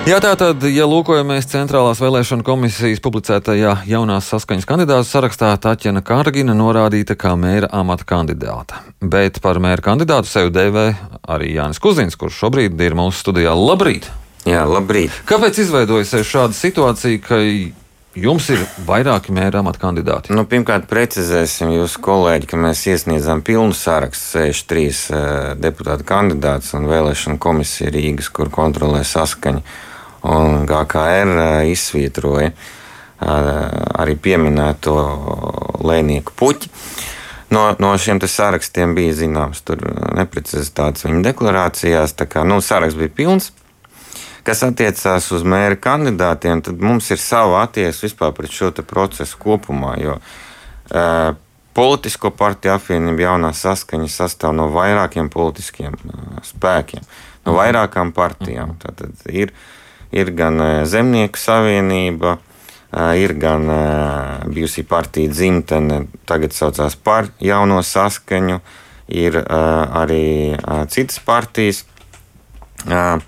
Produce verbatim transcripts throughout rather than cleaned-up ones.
Jā, tātad, ja lūkojamies Centrālās vēlēšana komisijas publicētajā jaunās saskaņas kandidātu sarakstā, Taķena Kārgina norādīta kā mēra amata kandidāta. Bet par mēra kandidātu sevi dēvē arī Jānis Kuzins, kurš šobrīd ir mūsu studijā. Labrīt! Jā, labrīt! Kāpēc izveidojusies šāda situācija, ka jums ir vairāki mēra amata kandidāti? Nu, pirmkārt, precizēsim jūsu kolēģi, ka mēs iesniedzām pilnu sarakstu sešdesmit trīs uh, deputātu kandidātus un vēlēšana komisija Rīgas, kur kontrolē saskaņu. Un G K R uh, izsvītroja uh, arī pieminēto Lēnieku Puķi. No, no šiem sarakstiem bija zināms tur neprecizitātes viņa deklarācijās, tā kā nu, saraksts bija pilns. Kas attiecās uz mēra kandidātiem, tad mums ir sava attieksme vispār pret šo procesu kopumā, jo uh, politisko partiju apvienība jaunā saskaņa sastāv no vairākiem politiskiem uh, spēkiem, no vairākām partijām. Tātad ir, ir gan uh, Zemnieku savienība, uh, ir gan uh, bijusī partija Dzimtene, tagad saucās par jauno saskaņu, ir uh, arī uh, citas partijas, uh,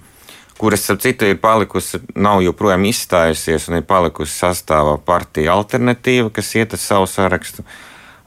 kuras, ap citu, ir palikusi, nav joprojām izstājusies un ir palikusi sastāvā partija Alternatīva, kas iet ar savu sarakstu.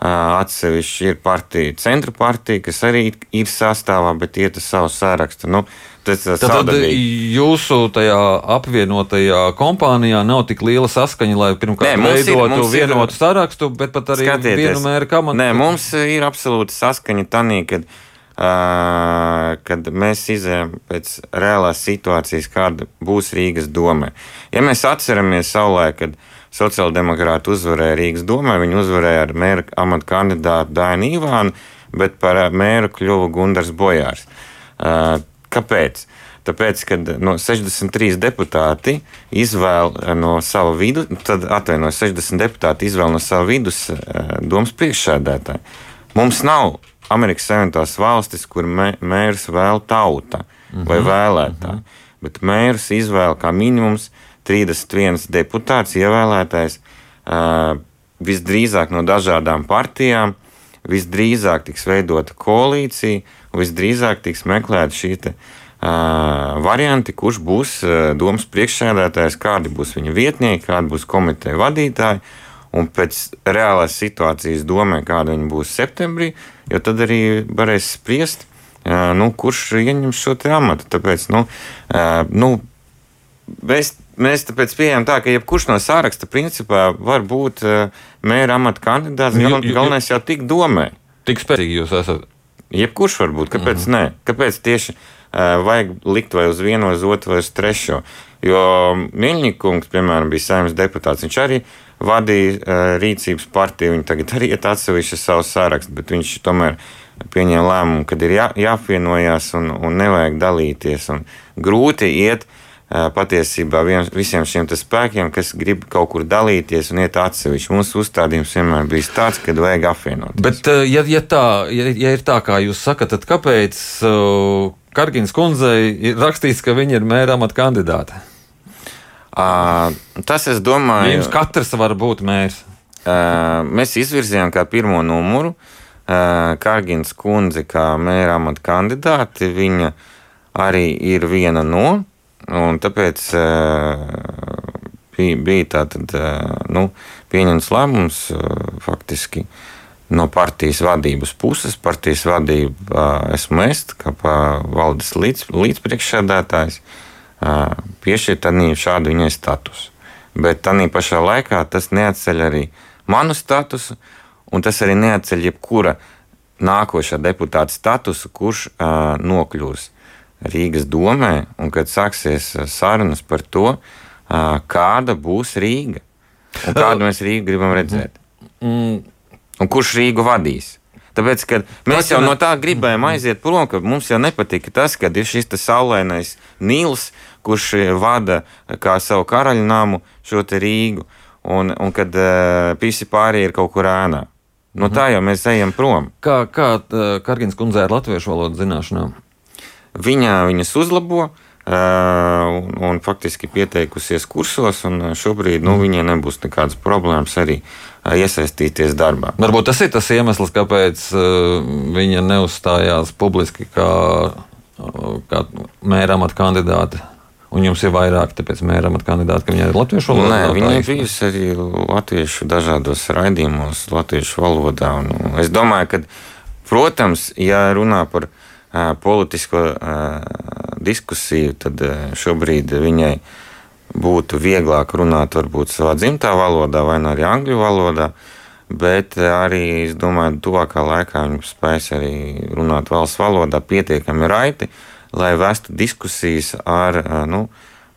Atsevišķi ir partija Centra partija, kas arī ir sastāvā, bet iet ar savu sarakstu. Nu, tas ir Tad jūsu tajā apvienotajā kompānijā nav tik liela saskaņa, lai pirmkārt veidotu vienotu sarakstu, bet pat arī skatieties, vienu mēra kamatu. Nē, mums ir absolūta saskaņa tanī, kad Uh, kad mēs izējām pēc reālās situācijas, kāda būs Rīgas domē. Ja mēs atceramies savulaik, kad sociāldemokrāti uzvarēja Rīgas domē, viņi uzvarēja ar mēra amata kandidātu Dainu Ivānu, bet par mēru kļuva Gundars Bojārs. Uh, kāpēc? Tāpēc, kad no sešdesmit trīs deputāti izvēl no sava vidu, tad atvainojas sešdesmit deputāti izvēl no sava vidus uh, domas priekšsēdētāju. Mums nav Amerikas Savienotās valstis, kur mē, mērs vēl tauta vai vēlētāji, uh-huh. bet mērs izvēl kā minimums trīsdesmit viens deputāts ievēlētais uh, visdrīzāk no dažādām partijām, visdrīzāk tiks veidota koalīcija, visdrīzāk tiks meklēta šī te, uh, varianti, kurš būs uh, domas priekšsēdētājs, kādi būs viņa vietnieki, kādi būs komiteja vadītāji. Un pēc reālās situācijas domē, kāda viņa būs septembrī, jo tad arī varēs spriest, nu, kurš ieņems šo te amatu. Tāpēc, nu, nu, mēs, mēs tāpēc pieejam tā, ka jebkurš no sāraksta principā var būt mēra amata kandidāts, gal, galvenais jau tik domē. Tik spēcīgi jūs esat? Jebkurš var būt, kāpēc mm-hmm. nē? Kāpēc tieši vajag likt vai uz vienu, vai uz otru, vai uz trešo? Jo Miļņikungs, piemēram, bija Saeimas deputāts, viņš arī vadīja uh, rīcības partiju, viņi tagad arī iet atsevišķi savu sarakstu, bet viņš tomēr pieņēma lēmumu, kad ir jā, jāapvienojās un, un nevajag dalīties. Un grūti iet uh, patiesībā vien, visiem šiem spēkiem, kas grib kaut kur dalīties un iet atsevišķi. Mūsu uzstādījums vienmēr bijis tāds, kad vajag apvienoties. Bet, uh, ja, ja, tā, ja, ja ir tā, kā jūs sakat, tad kāpēc uh, Kārginas kundzei ir rakstīts, ka viņa ir mēra amata kandidāte? Uh, tas, es domāju, jums katrs var būt mērs. Uh, mēs izvirzījām kā pirmo numuru uh, Kārginas kundzi kā mēra amata kandidāti. Viņa arī ir viena no, un tāpēc uh, bija, bija tātad, uh, nu, pieņemts lēmums uh, faktiski no partijas vadības puses. Partijas vadība uh, esmu es, kā valdes līdz, līdzpriekšsēdētājs. Piešķirt tādī šādu viņai statusu. Bet tādī pašā laikā tas neatceļ arī manu statusu, un tas arī neatceļ jebkura nākošā deputāta statusu, kurš uh, nokļūs Rīgas domē, un kad sāksies sarunas par to, uh, kāda būs Rīga, un kādu mēs Rīgu gribam redzēt. Un kurš Rīgu vadīs. Tāpēc, kad mēs jau no tā gribējām aiziet prom, ka mums jau nepatika tas, kad ir šis saulainais Nīls, kurš vada kā savu karaļnāmu šo te Rīgu, un, un kad uh, visi pārējie ir kaut kur ēnā. No tā jau mēs ejam prom. Kā, kā Kārginas kundzei ar latviešu valodas zināšanām? Viņa viņas uzlabo, Un, un faktiski pieteikusies kursos, un šobrīd nu, viņai nebūs nekādas problēmas arī iesaistīties darbā. Varbūt tas ir tas iemesls, kāpēc viņa neuzstājās publiski kā, kā mēra amata kandidāte Un jums ir vairāk, tāpēc mēra amata kandidāti, ka viņi ir latviešu valodā? Nē, viņi ir bijusi arī latviešu dažādos raidījumos, latviešu valodā. Un es domāju, ka, protams, ja runā par uh, politisko uh, diskusiju, tad uh, šobrīd viņai būtu vieglāk runāt varbūt savā dzimtā valodā vai arī angļu valodā, bet arī, es domāju, tuvākā laikā viņi spēs arī runāt valsts valodā pietiekami raiti, lai vestu diskusijas ar, nu,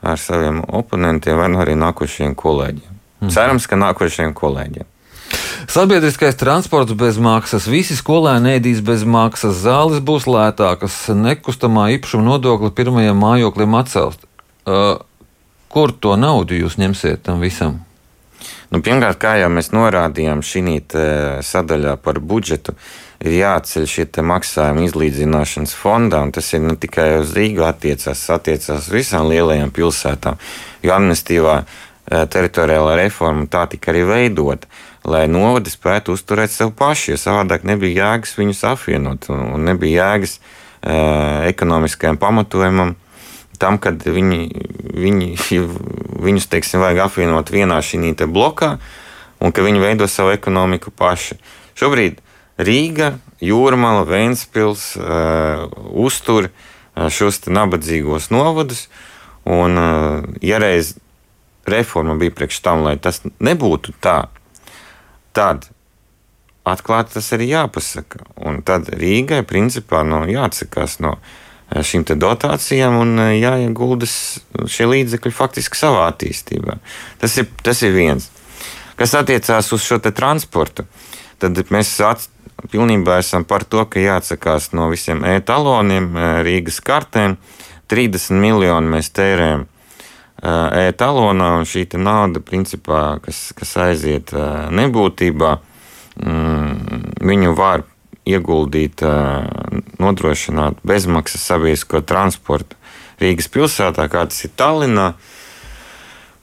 ar saviem oponentiem vai arī nākošajiem kolēģiem. Mhm. Cerams, ka nākošajiem kolēģiem. Sabiedriskais transports bez maksas, visi skolēni ēdīs bez maksas, zāles būs lētākas, nekustamā īpašuma nodokli pirmajam mājoklim atcelst. Uh, Kur to naudu jūs ņemsiet tam visam? Nu, pirmkārt, kā jau mēs norādījām šī sadaļā par budžetu, ir jāatceļ šie maksājumi izlīdzināšanas fondā, un tas ir ne tikai uz Rīgu attiecās, attiecās uz visām lielajām pilsētām, jo amnestīvā teritoriālā reforma tā tika arī veidota, lai novadi spētu uzturēt sev paši, jo savādāk nebija jēgas viņus apvienot, un nebija jēgas uh, ekonomiskajam pamatojumam tam, kad viņi, viņi, viņus, teiksim, vajag apvienot vienā šī te blokā, un ka viņi veido savu ekonomiku paši. Šobrīd Rīga, Jūrmala, Ventspils uh, uztur uh, šos te nabadzīgos novadus, un uh, ja reiz reforma bija priekš tam, lai tas nebūtu tā, tad atklāti tas arī jāpasaka. Un tad Rīgai principā no, jāatsakās no šīm te dotācijām un jāieguldas šie līdzekļi faktiski savā attīstībā. Tas ir, tas ir viens. Kas attiecās uz šo te transportu, tad mēs at, pilnībā esam par to, ka jāatsakās no visiem e-taloniem, Rīgas kartēm. trīsdesmit miljoni mēs tērējam e-talonā, un šī te nauda, principā, kas, kas aiziet nebūtībā, viņu var ieguldīt, nodrošināt bezmaksas sabiedrisko transportu Rīgas pilsētā, kā tas ir Tallinā.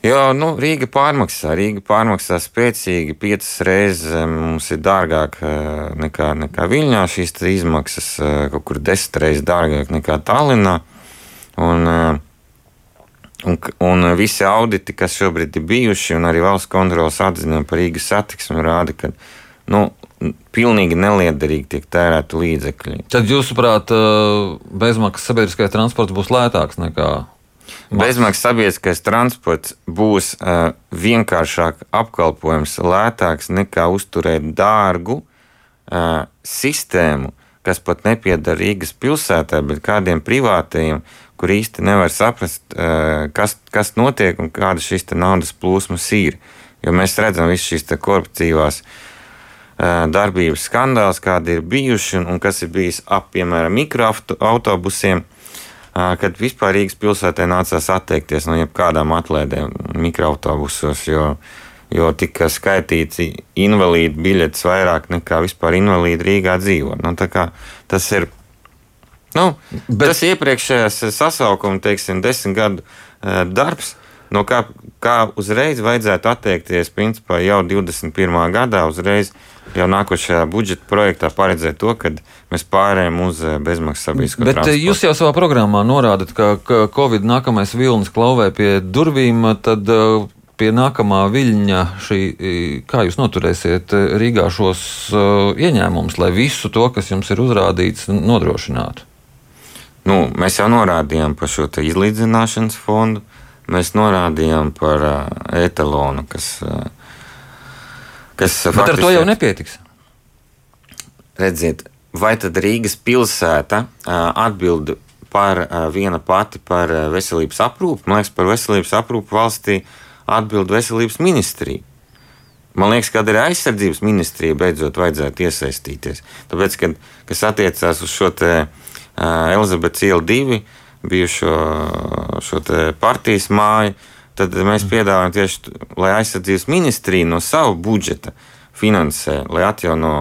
Jo, nu, Rīga pārmaksā, Rīga pārmaksā spēcīgi, piecas reizes mums ir dārgāk nekā, nekā Viļņā, šīs izmaksas kaut kur desmit reizes dārgāk nekā Tallinā. Un, un, un visi auditi, kas šobrīd ir bijuši, un arī valsts kontroles atzinumi par Rīgas satiksmi rāda, ka, nu, pilnīgi neliederīgi tiek tērēti līdzekļi. Tad, jūsuprāt, bezmaksas sabiedriskais transports būs lētāks nekā maksas? Bezmaksas sabiedriskais transports būs uh, vienkāršāk apkalpojums, lētāks nekā uzturēt dārgu uh, sistēmu, kas pat nepieder Rīgas pilsētā, bet kādiem privātajiem, kur īsti nevar saprast, uh, kas, kas notiek un kāda šīs te naudas plūsmas ir. Jo mēs redzam visu šīs te koruptīvās darbības skandāls, kādi ir bijuši un kas ir bijis ap, piemēram, mikroautobusiem, kad vispār Rīgas pilsētē nācās atteikties no jebkādām atlaidēm mikroautobusos, jo, jo tika skaitīts invalīdu biļetes vairāk nekā vispār invalīdi Rīgā dzīvo. Nu, tā kā tas ir, nu, Bet... tas iepriekšējās sasaukuma, teiksim, desmit gadu darbs, no kā, kā uzreiz vajadzētu atteikties, principā jau divdesmit pirmā gadā uzreiz jau nākošajā budžeta projektā paredzēt to, ka mēs pārējām uz bezmaksas sabiedrisko transportu. Bet jūs jau savā programmā norādat, ka, ka Covid nākamais vilnis klauvē pie durvīm, tad pie nākamā viļņa šī, kā jūs noturēsiet Rīgā šos ieņēmumus, lai visu to, kas jums ir uzrādīts, nodrošinātu? Nu, mēs jau norādījām par šo te izlīdzināšanas fondu, mēs norādījām par etalonu, kas Kas Bet ar to jau nepietiks. Redziet, vai tad Rīgas pilsēta atbild par viena pati par veselības aprūpi? Man liekas, par veselības aprūpi valstī atbild veselības ministrija. Man liekas, ka arī aizsardzības ministrija beidzot vajadzētu iesaistīties. Tāpēc, kad, kas attiecās uz šo te Elizabetes ielu divi, bijušo šo te partijas māju, tad mēs piedāvājam tieši, lai aizsardzības ministrija no savu budžeta finansē, lai atjauno,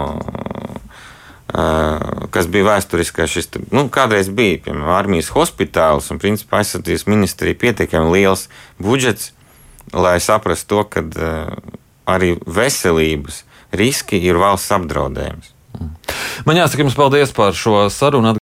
kas bija vēsturiskais šis, nu, kādreiz bija, piemēram, armijas hospitāls, un principā aizsardzības ministrija pietiekami liels budžets, lai saprastu to, ka arī veselības riski ir valsts apdraudējums. Man jāsaka jums paldies par šo sarunu.